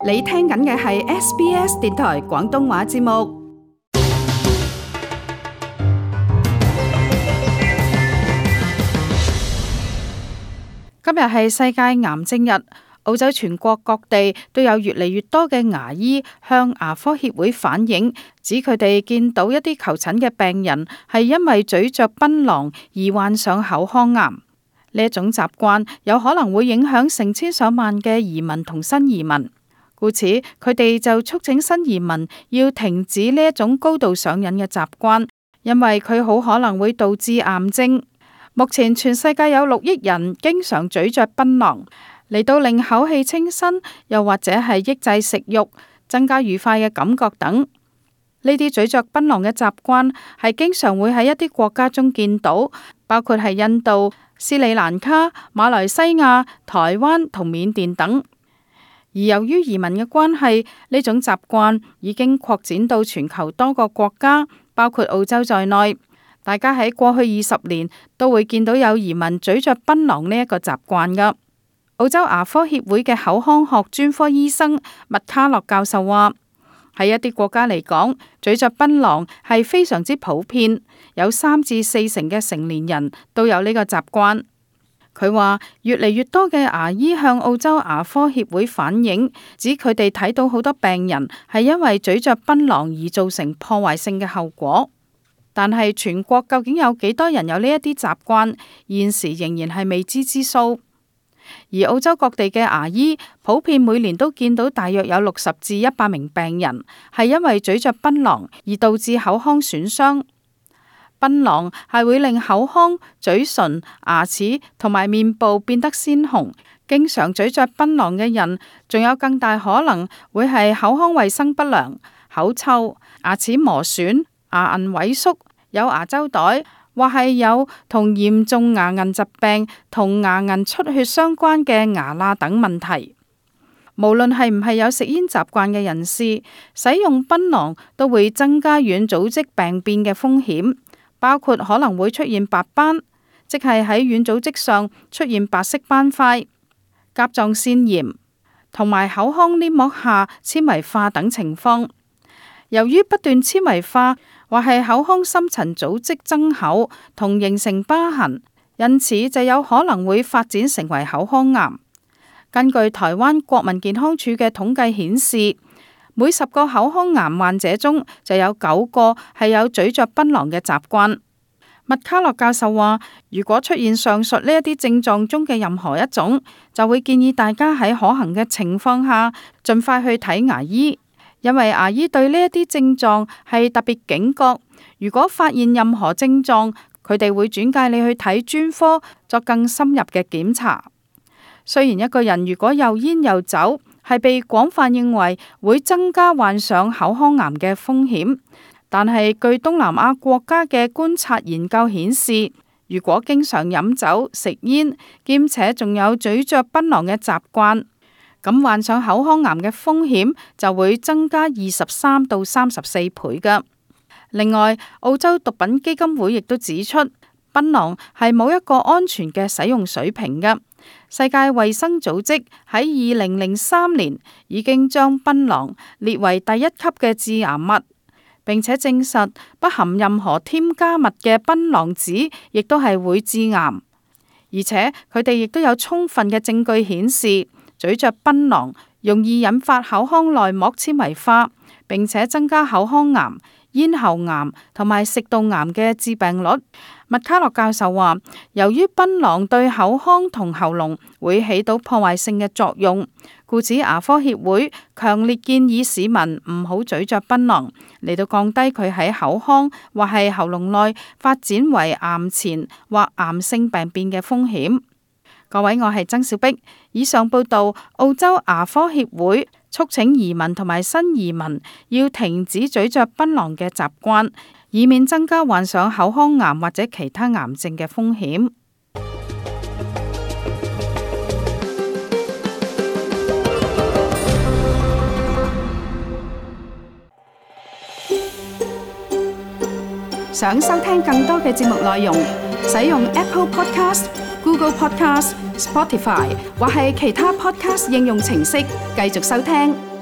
你聽緊嘅係 SBS 電台廣東話節目。今日係世界癌症日，澳洲全國各地都有越嚟越多嘅牙醫向牙科協會反映，指佢哋見到一啲求診嘅病人係因為咀嚼檳榔而患上口腔癌。呢一種習慣有可能會影響成千上萬嘅移民同新移民，故此佢哋就促請新移民要停止呢一種高度上癮嘅習慣，因為佢好可能會導致癌症。目前全世界有6億人經常咀嚼檳榔，嚟到令口氣清新，又或者係抑制食慾、增加愉快嘅感覺等。呢啲咀嚼檳榔嘅習慣係經常會喺一啲國家中見到，包括係印度、斯里蘭卡、馬來西亞、台灣同緬甸等。而由於移民嘅關係，呢種習慣已經擴展到全球多個國家，包括澳洲在內。大家喺過去20年都會見到有移民咀嚼檳榔呢一個習慣㗎。澳洲牙科協會嘅口腔學專科醫生麥卡洛教授話：喺一啲國家嚟講，咀嚼檳榔係非常之普遍，有3至4成嘅成年人都有呢個習慣。佢話越嚟越多嘅牙醫向澳洲牙科協會反映，指佢哋睇到好多病人係因為咀嚼檳榔而造成破壞性嘅後果。但係全國究竟有幾多人有呢一啲習慣，現時仍然係未知之數。而澳洲各地嘅牙醫普遍每年都見到大約有60至100名病人係因為咀嚼檳榔而導致口腔損傷。檳榔係會令口腔、嘴唇、牙齒同埋面部變得鮮紅。經常咀嚼檳榔嘅人，仲有更大可能會係口腔衛生不良、口臭、牙齒磨損、牙齦萎縮、有牙周袋，或係有同嚴重牙齦疾病同牙齦出血相關嘅牙罅等問題。無論係唔係有食煙習慣嘅人士，使用檳榔都會增加軟組織病變嘅風險，包括可能會出現白斑，即係喺軟組織上出現白色斑塊、甲狀腺炎同埋口腔黏膜下纖維化等情況。由於不斷纖維化或係口腔深層組織增厚同形成疤痕，因此就有可能會發展成為口腔癌。根據台灣國民健康署嘅統計顯示，每10個口腔癌患者中就有9個係有咀嚼檳榔嘅習慣。麥卡洛教授話，如果出現上述呢一啲症狀中嘅任何一種，就會建議大家喺可行嘅情況下盡快去睇牙醫。因為牙醫對呢一啲症狀係特別警覺，如果發現任何症狀，佢哋會轉介你去睇專科作更深入嘅檢查。雖然一個人如果又煙又酒，係被廣泛認為會增加患上口腔癌嘅風險，但係據東南亞國家嘅觀察研究顯示，如果經常飲酒、食煙，兼且仲有咀嚼檳榔嘅習慣，咁患上口腔癌嘅風險就會增加23到34倍㗎。另外，澳洲毒品基金會亦都指出，檳榔係冇一個安全嘅使用水平㗎。世界衛生組織喺2003年已經將檳榔列為第1級嘅致癌物，並且證實不含任何添加物嘅檳榔籽亦都係會致癌，而且佢哋亦都有充分嘅證據顯示，咀嚼檳榔容易引發口腔內膜纖維化，並且增加口腔癌、咽喉癌同埋食道癌嘅致病率。麥卡洛教授話，由於檳榔對口腔同喉嚨會起到破壞性嘅作用，故此牙科協會強烈建議市民唔好咀嚼檳榔，嚟到降低佢喺口腔或係喉嚨內發展為癌前或癌性病變嘅風險。各位，我係曾小碧。以上報道，澳洲牙科協會促請移民同埋新移民要停止咀嚼檳榔嘅習慣，以免增加患上口腔癌或者其他癌症嘅風險。想收聽更多嘅節目內容，使用 Apple Podcast、Google Podcast、Spotify 或係其他 Podcast 應用程式繼續收聽。